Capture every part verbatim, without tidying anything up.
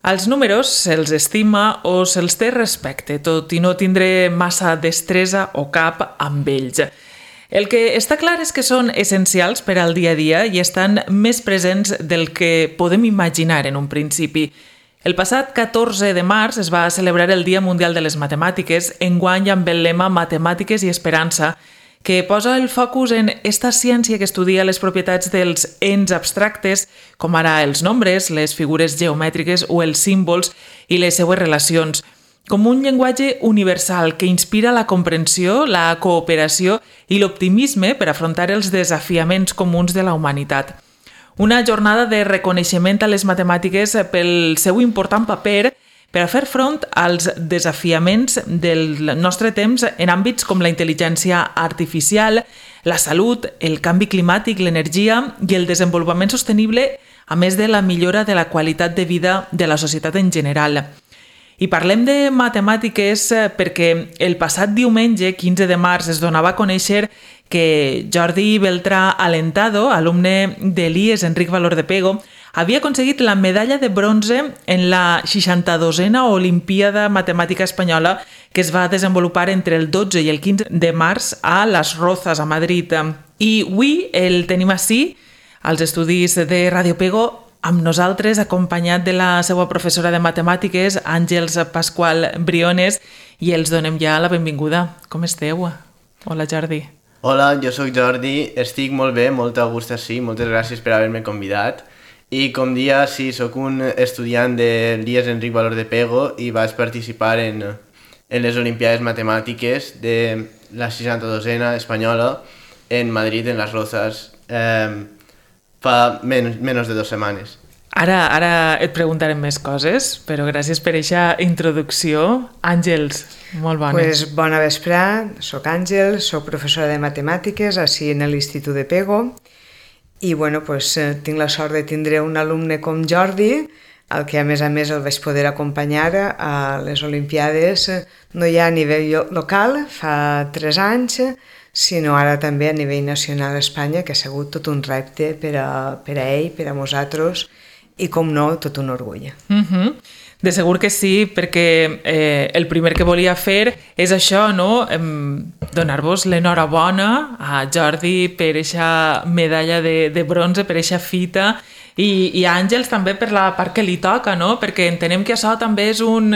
Els números se'ls estima o se'ls té respecte, tot i no tindre massa destresa o cap amb ells. El que està clar és que són essencials per al dia a dia i estan més presents del que podem imaginar en un principi. El passat catorze de març es va celebrar el Dia Mundial de les Matemàtiques, enguany amb el lema Matemàtiques i Esperança, que posa el focus en esta ciència que estudia les propietats dels ens abstractes, com ara els nombres, les figures geomètriques o els símbols i les seues relacions, com un llenguatge universal que inspira la comprensió, la cooperació i l'optimisme per afrontar els desafiaments comuns de la humanitat. Una jornada de reconeixement a les matemàtiques pel seu important paper per a fer front als desafiaments del nostre temps en àmbits com la intel·ligència artificial, la salut, el canvi climàtic, l'energia i el desenvolupament sostenible, a més de la millora de la qualitat de vida de la societat en general. I parlem de matemàtiques perquè el passat diumenge, quinze de març, es donava a conèixer que Jordi Beltrà Alentado, alumne de l'I E S Enric Valor de Pego, havia aconseguit la medalla de bronze en la seixanta-dosena Olimpíada Matemàtica Espanyola que es va desenvolupar entre el dotze i el quinze de març a Las Rozas, a Madrid. I avui el tenim ací, als estudis de Ràdio Pego, amb nosaltres, acompanyat de la seva professora de matemàtiques, Àngels Pasqual Briones, i els donem ja la benvinguda. Com esteu? Hola, Jordi. Hola, jo sóc Jordi, estic molt bé, molt a gust així, moltes gràcies per haver-me convidat. I com dia, sí, sóc un estudiant de l'I E S Enric Valor de Pego i vaig participar en, en les Olimpiades Matemàtiques de la seixanta-dosena espanyola en Madrid, en Las Rozas, eh, fa men menys de dues setmanes. Ara, ara et preguntarem més coses, però gràcies per aquesta introducció. Àngels, molt bones. Pues, bona vesprà, soc Àngels, soc professora de matemàtiques així en l'Institut de Pego i bueno, pues, tinc la sort de tindre un alumne com Jordi, el que a més a més el vaig poder acompanyar a les Olimpiades, no ja a nivell local, fa tres anys, sinó ara també a nivell nacional a Espanya, que ha sigut tot un repte per a, per a ell, per a nosaltres, i com no, tot un orgull. Uh-huh. De segur que sí, perquè eh, el primer que volia fer és això, no? Eh, donar-vos l'enhorabona a Jordi per aquesta medalla de, de bronze, per aquesta fita, i, i a Àngels també per la part que li toca, no? Perquè entenem que això també és un,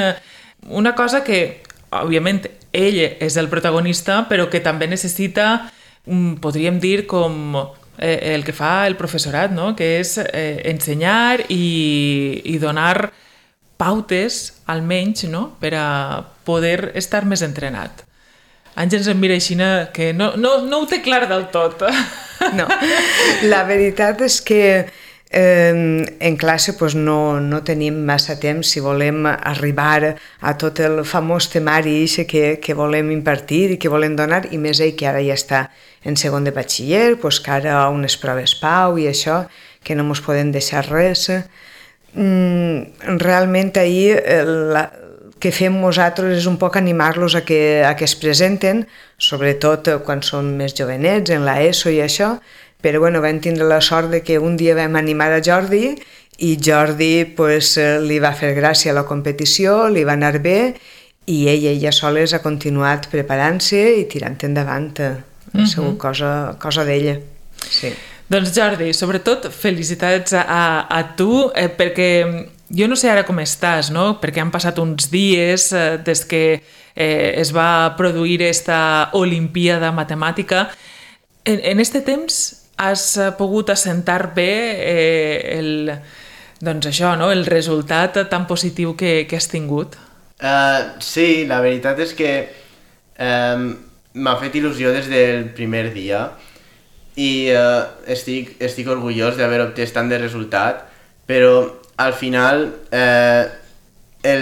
una cosa que, òbviament, ell és el protagonista, però que també necessita, podríem dir, com eh, el que fa el professorat, no? Que és eh, ensenyar i, i donar pautes, almenys, no? Per a poder estar més entrenat. Àngels em mira així que no, no, no ho té clar del tot. No, la veritat és que eh, en classe pues, no, no tenim massa temps si volem arribar a tot el famós temari que, que volem impartir i que volem donar, i més ell que ara ja està en segon de batxiller, pues, que ara unes proves pau i això, que no ens podem deixar res. Mm, realment ahir el que fem nosaltres és un poc animar-los a que, a que es presenten, sobretot quan són més jovenets, en la ESO i això, però bueno, vam tindre la sort de que un dia vam animar a Jordi i Jordi pues, li va fer gràcia a la competició, li va anar bé i ell i ella soles ha continuat preparant-se i tirant endavant. Ha uh-huh. sigut cosa, cosa d'ella. Sí. Doncs Jordi, sobretot felicitats a, a tu, eh, perquè jo no sé ara com estàs, no? Perquè han passat uns dies eh, des que eh, es va produir esta Olimpíada Matemàtica. En, en este temps has pogut assentar bé eh, el, doncs això, no? El resultat tan positiu que, que has tingut? Uh, sí, la veritat és que um, m'ha fet il·lusió des del primer dia. I uh, estic, estic orgullós d'haver obtès tant de resultat, però al final eh,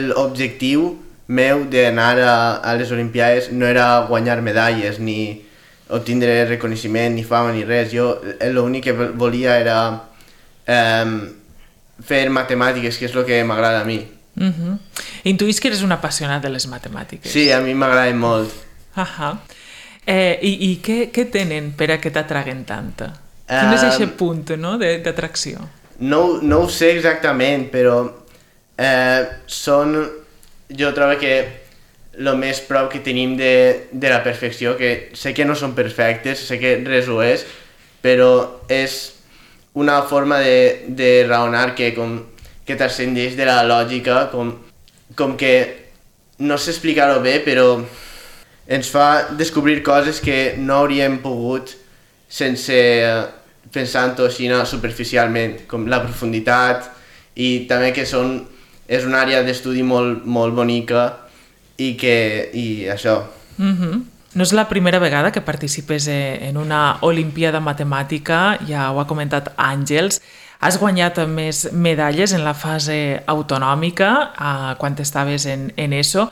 l'objectiu meu d'anar a, a les Olimpiades no era guanyar medalles, ni obtindre reconeixement, ni fama, ni res. Jo l'únic que volia era eh, fer matemàtiques, que és el que m'agrada a mi. Uh-huh. Intuïs que eres un apassionat de les matemàtiques. Sí, a mi m'agraden molt. Uh-huh. Eh, I i què, què tenen per a que t'atraguen tant? Quin és aquest punt, no, d'atracció? No, no ho sé exactament, però eh, són, jo trobo que el més prop que tenim de, de la perfecció, que sé que no són perfectes, sé que res ho és, però és una forma de, de raonar que, com, que transcendeix de la lògica, com, com que no sé explicar-ho bé, però ens fa descobrir coses que no hauríem pogut sense pensant-ho així superficialment, com la profunditat, i també que són, és una àrea d'estudi molt, molt bonica i que i això. Mm-hmm. No és la primera vegada que participes en una Olimpiada Matemàtica, ja ho ha comentat Àngels. Has guanyat més medalles en la fase autonòmica eh, quan estaves en, en ESO,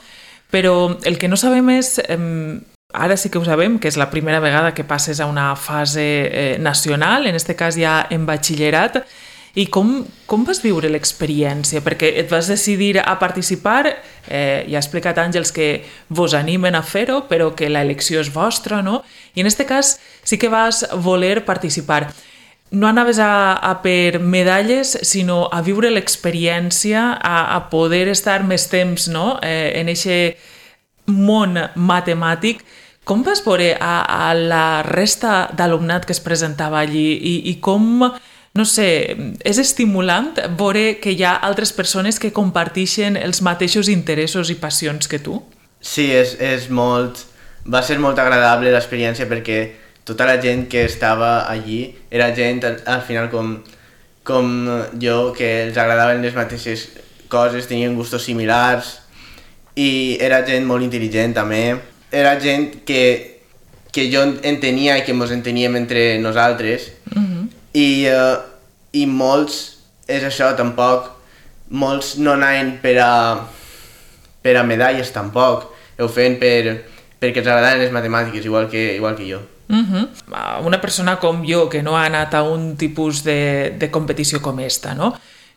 però el que no sabem és, eh, ara sí que ho sabem, que és la primera vegada que passes a una fase eh, nacional, en aquest cas ja en batxillerat, i com, com vas viure l'experiència? Perquè et vas decidir a participar, eh, ja ha explicat Àngels que vos animen a fer-ho, però que l'elecció és vostra, no? I en aquest cas sí que vas voler participar. No anaves a, a per medalles, sinó a viure l'experiència, a, a poder estar més temps, no? eh, en aquest món matemàtic. Com vas veure a, a la resta d'alumnat que es presentava allí i, i com... No sé, és estimulant veure que hi ha altres persones que comparteixen els mateixos interessos i passions que tu? Sí, és, és molt... va ser molt agradable l'experiència perquè tota la gent que estava allí era gent al, al final com, com jo, que els agradaven les mateixes coses, tenien gustos similars i era gent molt intel·ligent també. Era gent que, que jo entenia i que ens enteníem entre nosaltres. Mm-hmm. I, uh, i molts, és això tampoc, molts no anaven per a, per a medalles tampoc, ho feien per, perquè els agradaven les matemàtiques, igual que, igual que jo. Uh-huh. Una persona com jo, que no ha anat a un tipus de, de competició com esta, no?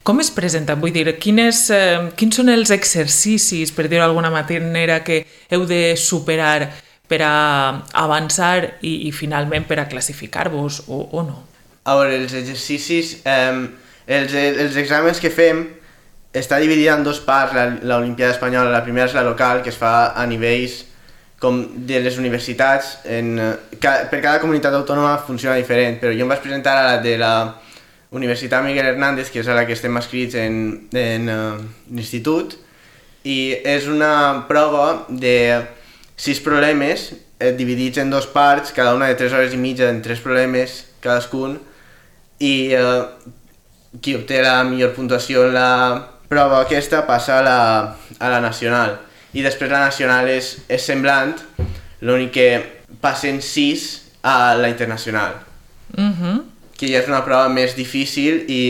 Com es presenta? Vull dir, quines, eh, quins són els exercicis, per dir-ho d'alguna manera, que heu de superar per a avançar i, i finalment per a classificar-vos o, o no? A veure, els exercicis, eh, els, els exàmens que fem està dividida en dos parts, l'Olimpiada Espanyola. La primera és la local, que es fa a nivells com de les universitats. En, ca, per cada comunitat autònoma funciona diferent, però jo em vaig presentar a la de la Universitat Miguel Hernández, que és a la que estem escrits en, en uh, l'institut, i és una prova de sis problemes eh, dividits en dos parts, cada una de tres hores i mitja en tres problemes cadascun, i eh, qui obté la millor puntuació en la prova aquesta passa a la, a la nacional. I després la nacional és, és semblant, l'únic que passen sis a la internacional, mm-hmm. que ja és una prova més difícil i,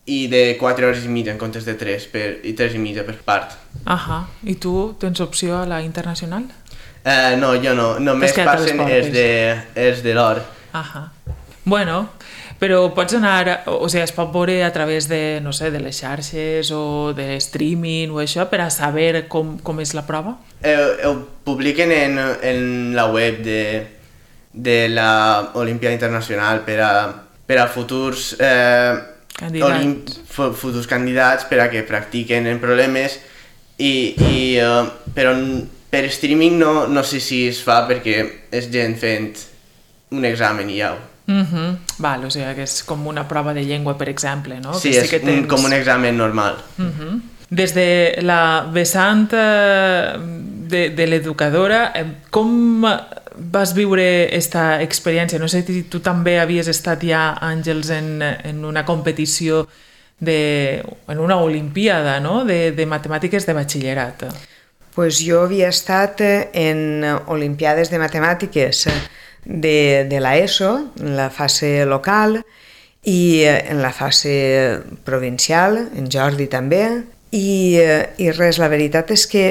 i de quatre hores i mitja en comptes de tres, per, i tres i mitja per part. Ahà. I tu tens opció a la internacional? Eh, no, jo no, només passen els de, els de l'or. Ahà. Bueno, però pots anar, o sigui, es pot veure a través de, no sé, de les xarxes o de streaming o això per a saber com, com és la prova? Eh, ho publiquen en, en la web de, de la Olimpíada Internacional per a, per a futurs, eh, candidats. Olimp, futurs candidats per a que practiquen en problemes i, i uh, però per streaming no, no sé si es fa perquè és gent fent un examen i ja ho. Mm-hmm. Val, o sigui que és com una prova de llengua, per exemple, no? Sí, que és sí que tens... un, com un examen normal. Mm-hmm. Des de la vessant de, de l'educadora, com vas viure aquesta experiència? No sé si tu també havies estat ja, Àngels, en, en una competició, de, en una olimpiada, no? de, de matemàtiques de batxillerat. Pues jo havia estat en olimpiades de matemàtiques de, de l'ESO, en la fase local, i en la fase provincial, en Jordi també, i, i res, la veritat és que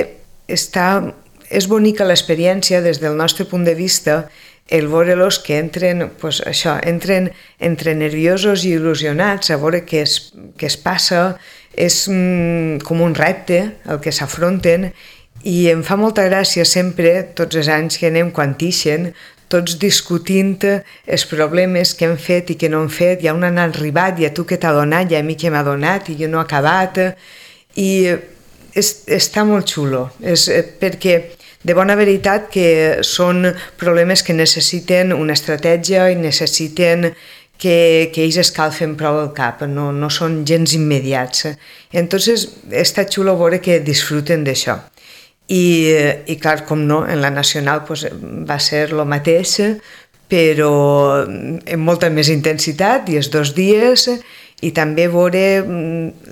està, és bonica l'experiència des del nostre punt de vista, el veure-los que entren, pues això, entren entre nerviosos i il·lusionats a veure què es, què es passa, és mm, com un repte el que s'afronten, i em fa molta gràcia sempre, tots els anys que anem quan ixen, tots discutint els problemes que hem fet i que no hem fet, i on han arribat, i a tu què t'ha donat, i a mi què m'ha donat, i jo no he acabat, i és, està molt xulo, és perquè de bona veritat que són problemes que necessiten una estratègia i necessiten que, que ells escalfen prou el cap, no, no són gens immediats. Entonces està xulo veure que disfruten d'això. I, i clar, com no, en la nacional pues, va ser el mateix, però amb molta més intensitat i els dos dies, i també veure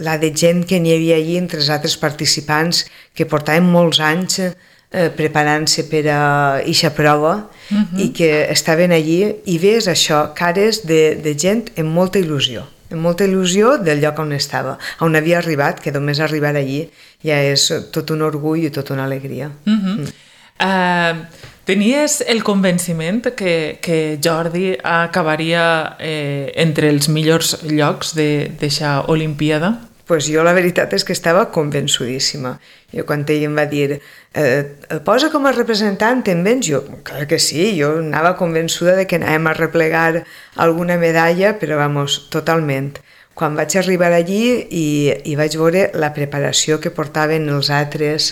la de gent que n'hi havia allí entre els altres participants que portaven molts anys eh, preparant-se per a eixa prova uh-huh. i que estaven allí i ves això, cares de, de gent amb molta il·lusió, amb molta il·lusió del lloc on estava, on havia arribat, que només arribar allí ja és tot un orgull i tota una alegria. Uh-huh. mm. uh, tenies el convenciment que, que Jordi acabaria eh, entre els millors llocs d'eixa Olimpíada? Pues jo la veritat és que estava convençudíssima. Jo quan ell em va dir eh, el posa com a representant, te'n vens? Jo, clar que sí, jo anava convençuda de que anàvem a replegar alguna medalla, però vamos, totalment. Quan vaig arribar allí i, i vaig veure la preparació que portaven els altres,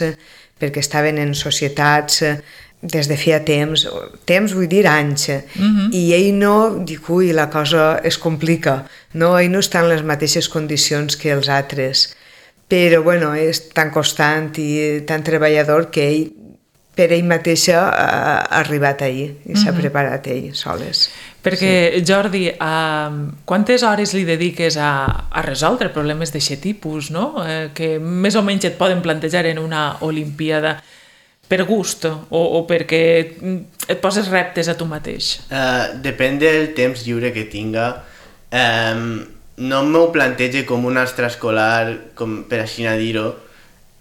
perquè estaven en societats des de feia temps, temps vull dir anys, uh-huh. i ell no, dic, ui, la cosa es complica, no, ell no està en les mateixes condicions que els altres, però bueno, és tan constant i tan treballador que ell, per ell mateixa, ha arribat ahir i s'ha uh-huh. preparat ell, soles. Perquè, sí. Jordi, uh, quantes hores li dediques a, a resoldre problemes d'aquest tipus, no? Eh, que més o menys et poden plantejar en una Olimpíada per gust o, o perquè et poses reptes a tu mateix? Uh, depèn del temps lliure que tinga. Um, no m'ho plantege com un extraescolar, com per així a dir-ho.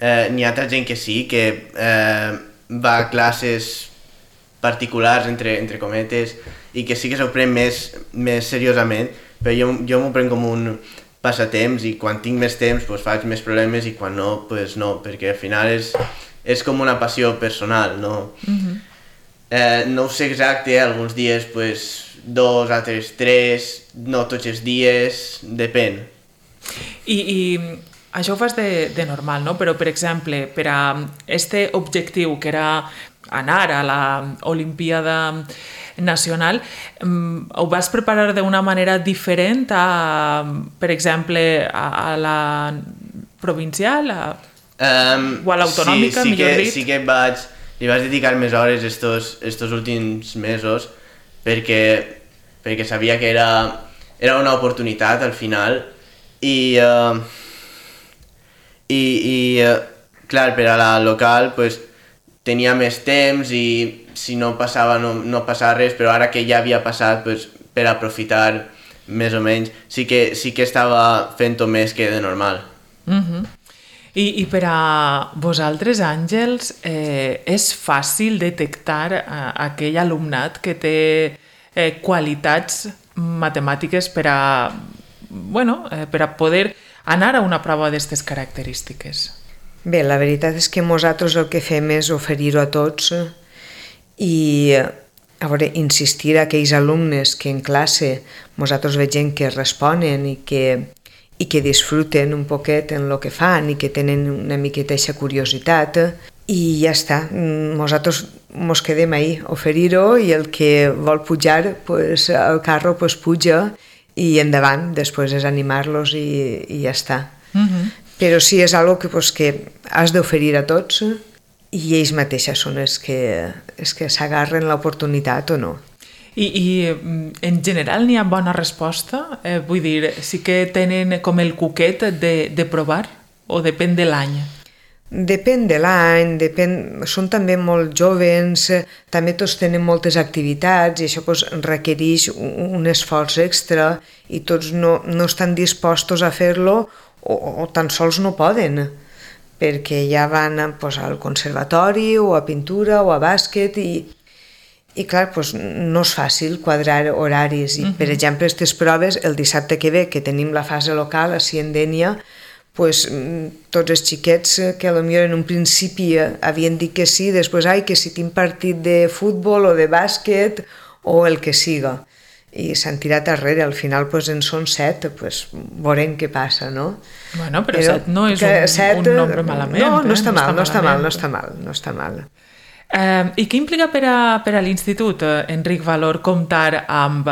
Uh, n'hi ha altra gent que sí, que uh, va a classes particulars, entre, entre cometes, i que sí que s'ho pren més, més seriosament, però jo, jo m'ho prenc com un passatemps i quan tinc més temps pues, faig més problemes i quan no, pues no, perquè al final és... és com una passió personal, no? Uh-huh. eh, no ho sé exacte, alguns dies pues, dos, altres tres, no tots els dies, depèn. I, i això ho fas de, de normal, no? Però, per exemple, per a este objectiu, que era anar a la Olimpíada nacional, ho vas preparar d'una manera diferent a, per exemple, a, a la provincial, a... Um, o a l'autonòmica, sí, sí millor que, dit. Sí que vaig, li vaig dedicar més hores estos, estos últims mesos perquè, perquè sabia que era, era una oportunitat al final i, uh, i, i uh, clar, per a la local pues, tenia més temps i si no passava no, no passava res, però ara que ja havia passat pues, per aprofitar més o menys sí que, sí que estava fent-ho més que de normal. Mhm. I, I per a vosaltres, Àngels, eh, és fàcil detectar eh, aquell alumnat que té eh, qualitats matemàtiques per a, bueno, eh, per a poder anar a una prova d'aquestes característiques? Bé, la veritat és que nosaltres el que fem és oferir-ho a tots i a veure, insistir a aquells alumnes que en classe nosaltres veiem que responen i que i que disfruten un poquet en el que fan i que tenen una miqueta aquesta curiositat i ja està, nosaltres mos quedem ahí, oferir-ho i el que vol pujar pues, al carro pues, puja i endavant, després és animar-los i, i ja està. Uh-huh. Però sí, és algo que, pues, que has d'oferir a tots i ells mateixes són els que, els que s'agarren l'oportunitat o no. I, i en general n'hi ha bona resposta? Eh, vull dir, sí que tenen com el cuquet de, de provar o depèn de l'any? Depèn de l'any, depèn... són també molt jovens, també tots tenen moltes activitats i això pues, requereix un, un esforç extra i tots no, no estan dispostos a fer-lo o, o tan sols no poden perquè ja van pues, al conservatori o a pintura o a bàsquet i I clar, doncs, no és fàcil quadrar horaris. I, uh-huh. Per exemple, aquestes proves, el dissabte que ve, que tenim la fase local, així en Dénia, doncs, tots els xiquets que potser en un principi havien dit que sí, després, ai, que si tinc partit de futbol o de bàsquet o el que siga. i s'han tirat darrere, al final pues, en són set, pues, veurem què passa, no? Bueno, però, però set no és un, set, un nombre malament. No, no eh? està, no mal, està no està mal, no malament. està mal, no està mal. Eh, I què implica per a, per a l'Institut, eh, Enric Valor, comptar amb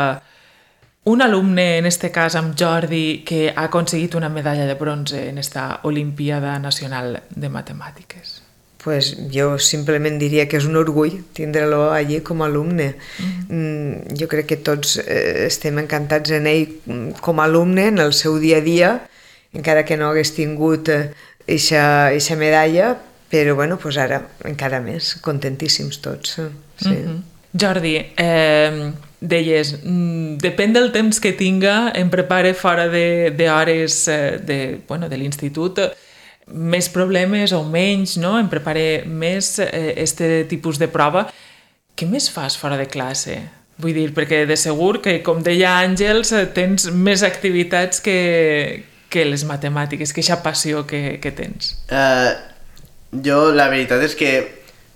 un alumne, en este cas amb Jordi, que ha aconseguit una medalla de bronze en esta Olimpiada Nacional de Matemàtiques? Pues jo simplement diria que és un orgull tindre-lo allí com a alumne. Mm-hmm. Jo crec que tots eh, estem encantats en ell com a alumne, en el seu dia a dia, encara que no hagués tingut eixa medalla, però bueno, pues ara encara més, contentíssims tots. Sí. Mm-hmm. Jordi, eh, deies, mm, depèn del temps que tinga, em prepare fora d'hores de, de, bueno, de l'institut, més problemes o menys, no? Em prepare més eh, este tipus de prova. Què més fas fora de classe? Vull dir, perquè de segur que, com deia Àngels, tens més activitats que, que les matemàtiques, que aquesta passió que, que tens. Uh, jo, la veritat és que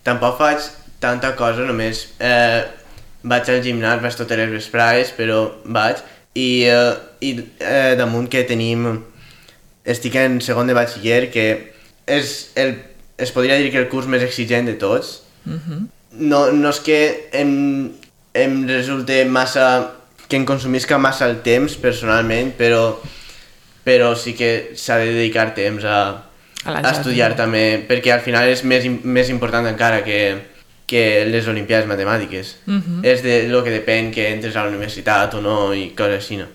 tampoc faig tanta cosa, només eh, vaig al gimnàs, vaig totes les vesprades, però vaig, i, eh, i eh, damunt que tenim, estic en segon de batxiller, que és el, es podria dir que el curs més exigent de tots. Mm-hmm. No, no és que em, em resulte massa, que em consumisca massa el temps personalment, però, però sí que s'ha de dedicar temps a, a, a estudiar també, perquè al final és més, més important encara que que les Olimpiades Matemàtiques. Uh-huh. És de lo que depèn que entres a la universitat o no i coses així, no?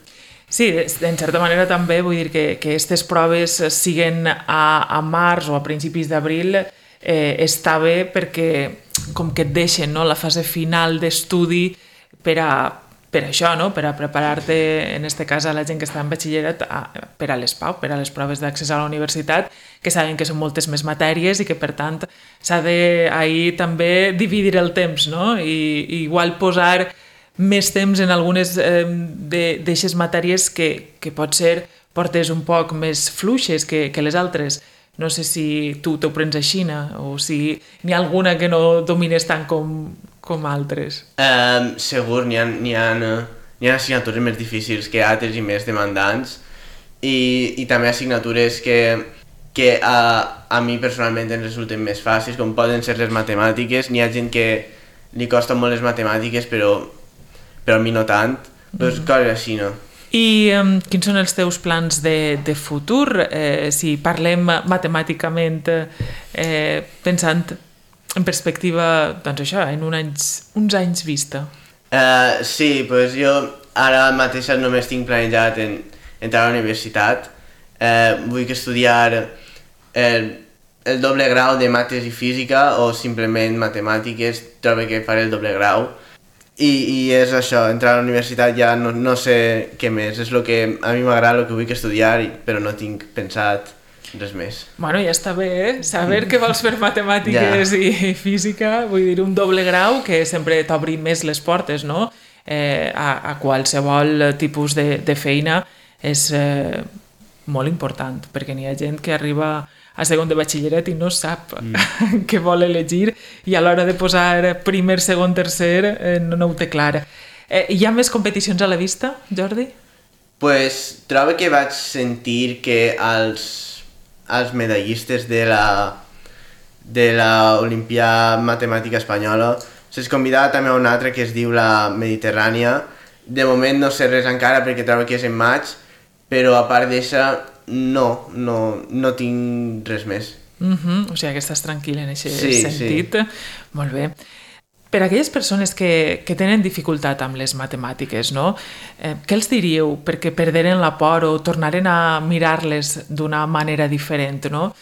Sí, en certa manera també vull dir que que aquestes proves siguen a, a març o a principis d'abril eh, està bé perquè com que et deixen, no?, la fase final d'estudi per a per això, no?, per a preparar-te, en este cas a la gent que està en batxillerat, a, per a les PAU, per a les proves d'accés a la universitat, que saben que són moltes més matèries i que, per tant, s'ha de ahir també dividir el temps, no?, i, i igual posar més temps en algunes eh, d'aixes matèries que, que pot ser portes un poc més fluixes que, que les altres. No sé si tu t'ho prens així, o si n'hi ha alguna que no domines tant com, com altres. Um, segur, n'hi ha, n'hi ha, n'hi ha assignatures més difícils que altres i més demandants, i, i també assignatures que, que a, a mi personalment em resulten més fàcils, com poden ser les matemàtiques. N'hi ha gent que li costen molt les matemàtiques, però, però a mi no tant. Doncs mm-hmm. coses així, no? I um, quins són els teus plans de, de futur? Eh, si parlem matemàticament, eh, pensant en perspectiva, doncs això, en un anys, uns anys vista. Uh, sí, doncs jo ara mateix només tinc planejat en, entrar a la universitat. Uh, vull estudiar el, el doble grau de mates i física o simplement matemàtiques, trobo que faré el doble grau. I, i és això, entrar a la universitat ja no, no sé què més, és el que a mi m'agrada, el que vull estudiar, però no tinc pensat res més. Bueno, ja està bé, eh? Saber que vols fer matemàtiques ja. I física, vull dir, un doble grau que sempre t'obri més les portes, no? Eh, a, a qualsevol tipus de, de feina és eh, molt important, perquè n'hi ha gent que arriba a segon de batxillerat i no sap mm. què vol elegir, i a l'hora de posar primer, segon, tercer eh, no, no ho té clar. Eh, hi ha més competicions a la vista, Jordi? Pues trobo que vaig sentir que els, els medallistes de la de la Olimpíada Matemàtica Espanyola se'ls convidava també a una altra que es diu la Mediterrània. De moment no sé res encara perquè trobo que és en maig, però a part d'això no, no, no tinc res més. Mm-hmm. O sigui que estàs tranquil en aquest sí, sentit. Sí. Molt bé. Per a aquelles persones que, que tenen dificultat amb les matemàtiques, no? Eh, què els diríeu perquè perderen la por o tornaren a mirar-les d'una manera diferent, no?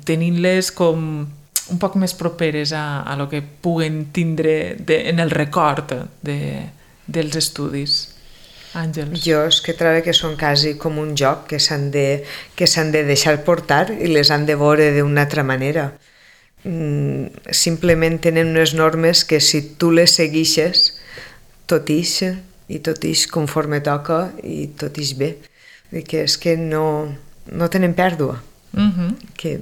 Tenint-les com un poc més properes a, a lo que puguen tindre de, en el record de, dels estudis. Àngels. Jo és que trobo que són quasi com un joc que s'han de, que s'han de deixar portar i les han de veure d'una altra manera. Mm, simplement tenen unes normes que si tu les seguixes, tot ix i tot ix conforme toca i tot ix bé. I que és que no, no tenen pèrdua. Mm-hmm. Que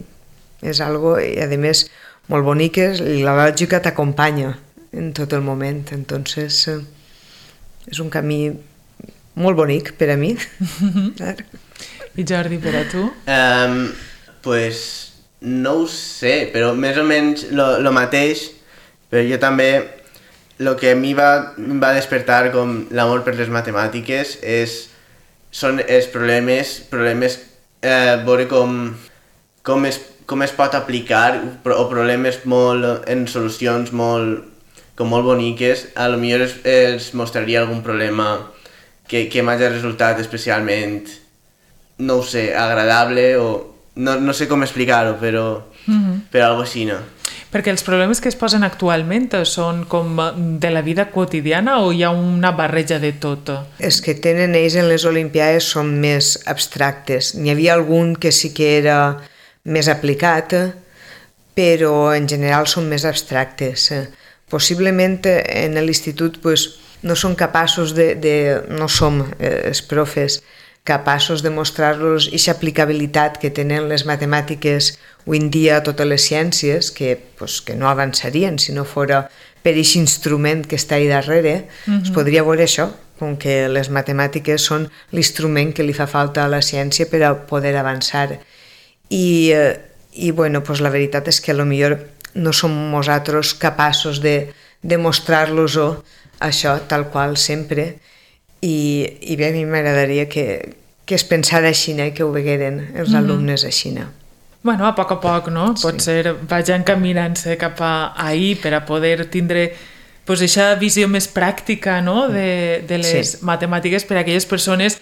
és algo, i a més, molt bonic, i la lògica t'acompanya en tot el moment. Entonces, és un camí molt bonic per a mi. I Jordi, per a tu? Um, pues no ho sé, però més o menys el mateix, però jo també, el que a mi va, va despertar com l'amor per les matemàtiques és, són els problemes, problemes eh, veure com, com, es, com es pot aplicar, o problemes molt, en solucions molt, com molt boniques, a lo millor es, els mostraria algun problema que, que m'hagi resultat especialment, no ho sé, agradable o no, no sé com explicar-ho, però, mm-hmm. però algo així, no? Perquè els problemes que es posen actualment són com de la vida quotidiana o hi ha una barreja de tot? Els que tenen ells en les Olimpiades són més abstractes. N'hi havia algun que sí que era més aplicat, però en general són més abstractes. Possiblement en l'institut pues, no són capaços de, de... no som eh, els profes capaços de mostrar-los aquesta aplicabilitat que tenen les matemàtiques avui en dia a totes les ciències, que, pues, que no avançarien si no fora per aquest instrument que està ahí darrere. Mm-hmm. Es podria veure això, com que les matemàtiques són l'instrument que li fa falta a la ciència per a poder avançar. I, i bueno, pues la veritat és que potser no som nosaltres capaços de demostrar-los-ho això tal qual sempre. I, i bé, a mi m'agradaria que, que es pensara així i que ho vegueren els mm-hmm. alumnes així. Bueno, a poc a poc, no? Sí. Potser vagin caminant-se cap a ahir per a poder tindre pues, aquesta visió més pràctica, no? de, de les sí. matemàtiques per a aquelles persones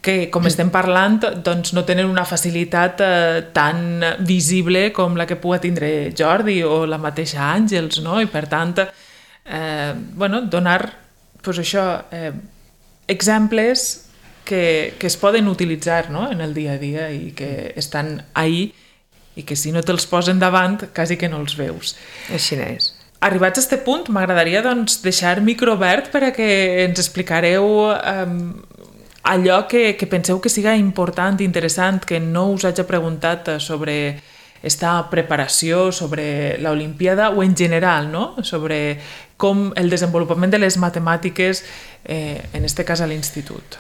que, com estem parlant, doncs no tenen una facilitat eh, tan visible com la que pugui tindre Jordi o la mateixa Àngels, no? I per tant, eh, bueno, donar pues, això... Eh, exemples que, que es poden utilitzar, no? En el dia a dia i que estan ahí i que si no te'ls posen davant quasi que no els veus. Així és. Arribats a aquest punt, m'agradaria doncs, deixar micro obert per a que ens explicareu eh, allò que, que penseu que siga important, interessant, que no us hagi preguntat sobre esta preparació, sobre l'Olimpiada o en general, no? Sobre com el desenvolupament de les matemàtiques, eh, en este cas a l'institut.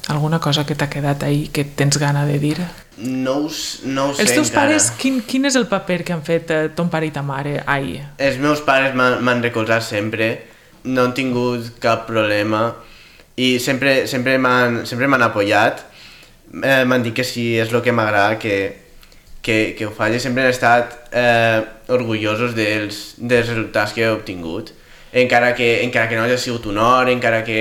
Alguna cosa que t'ha quedat ahí que tens gana de dir? No ho, no ho sé Els teus encara. pares, quin, quin és el paper que han fet eh, ton pare i ta mare ahir? Els meus pares m'han recolzat sempre, no han tingut cap problema i sempre, sempre m'han sempre m'han apoyat. Eh, m'han dit que si és el que m'agrada, que Que, que ho faci, sempre han estat eh, orgullosos dels, dels resultats que he obtingut, encara que, encara que no hagi sigut un or, encara que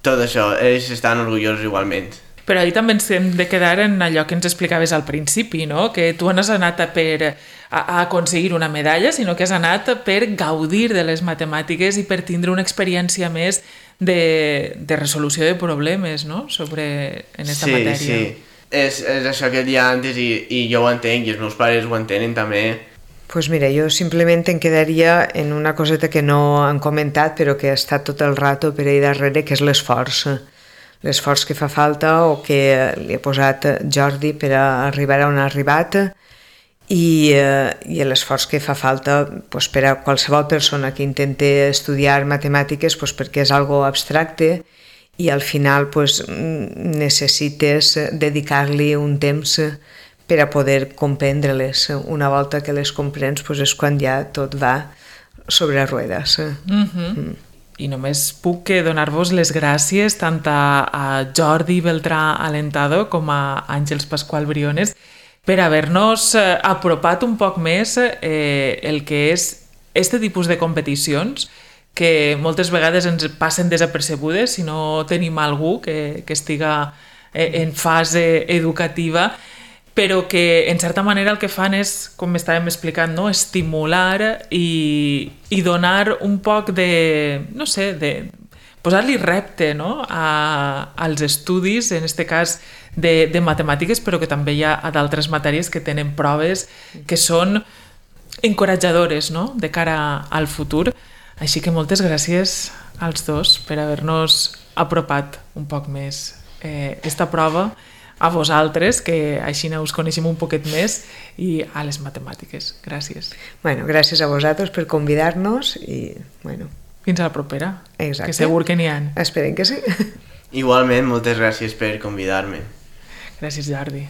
tot això, ells estan orgullosos igualment. Però ahir també ens hem de quedar en allò que ens explicaves al principi, no? Que tu no has anat per a, a aconseguir una medalla, sinó que has anat per gaudir de les matemàtiques i per tindre una experiència més de, de resolució de problemes, no? Sobre en aquesta sí, matèria. Sí, sí. És, és això que et deia antes i, i jo ho entenc i els meus pares ho entenen també. Pues mira, jo simplement em quedaria en una coseta que no han comentat però que ha estat tot el rato per ahí darrere, que és l'esforç. L'esforç que fa falta o que li ha posat Jordi per a arribar on ha arribat i, eh, i l'esforç que fa falta pues, per a qualsevol persona que intente estudiar matemàtiques pues, perquè és algo abstracte i al final pues, necessites dedicar-li un temps per a poder comprendre-les. Una volta que les comprens pues, és quan ja tot va sobre ruedes. Mm-hmm. Mm. I només puc donar-vos les gràcies tant a, a Jordi Beltrà Alentado com a Àngels Pascual Briones per haver-nos apropat un poc més eh, el que és este tipus de competicions que moltes vegades ens passen desapercebudes si no tenim algú que, que estiga en fase educativa, però que en certa manera el que fan és, com estàvem explicant, no? Estimular i, i donar un poc de, no sé, de posar-li repte, no? a, als estudis, en aquest cas de, de matemàtiques, però que també hi ha a d'altres matèries que tenen proves que són encoratjadores, no? De cara al futur. Així que moltes gràcies als dos per haver-nos apropat un poc més eh, esta prova a vosaltres, que així us coneixem un poquet més, i a les matemàtiques. Gràcies. Bueno, gràcies a vosaltres per convidar-nos i, bueno, Fins a la propera. Exacte. Que segur que n'hi ha. Esperem que sí. Igualment, moltes gràcies per convidar-me. Gràcies, Jordi.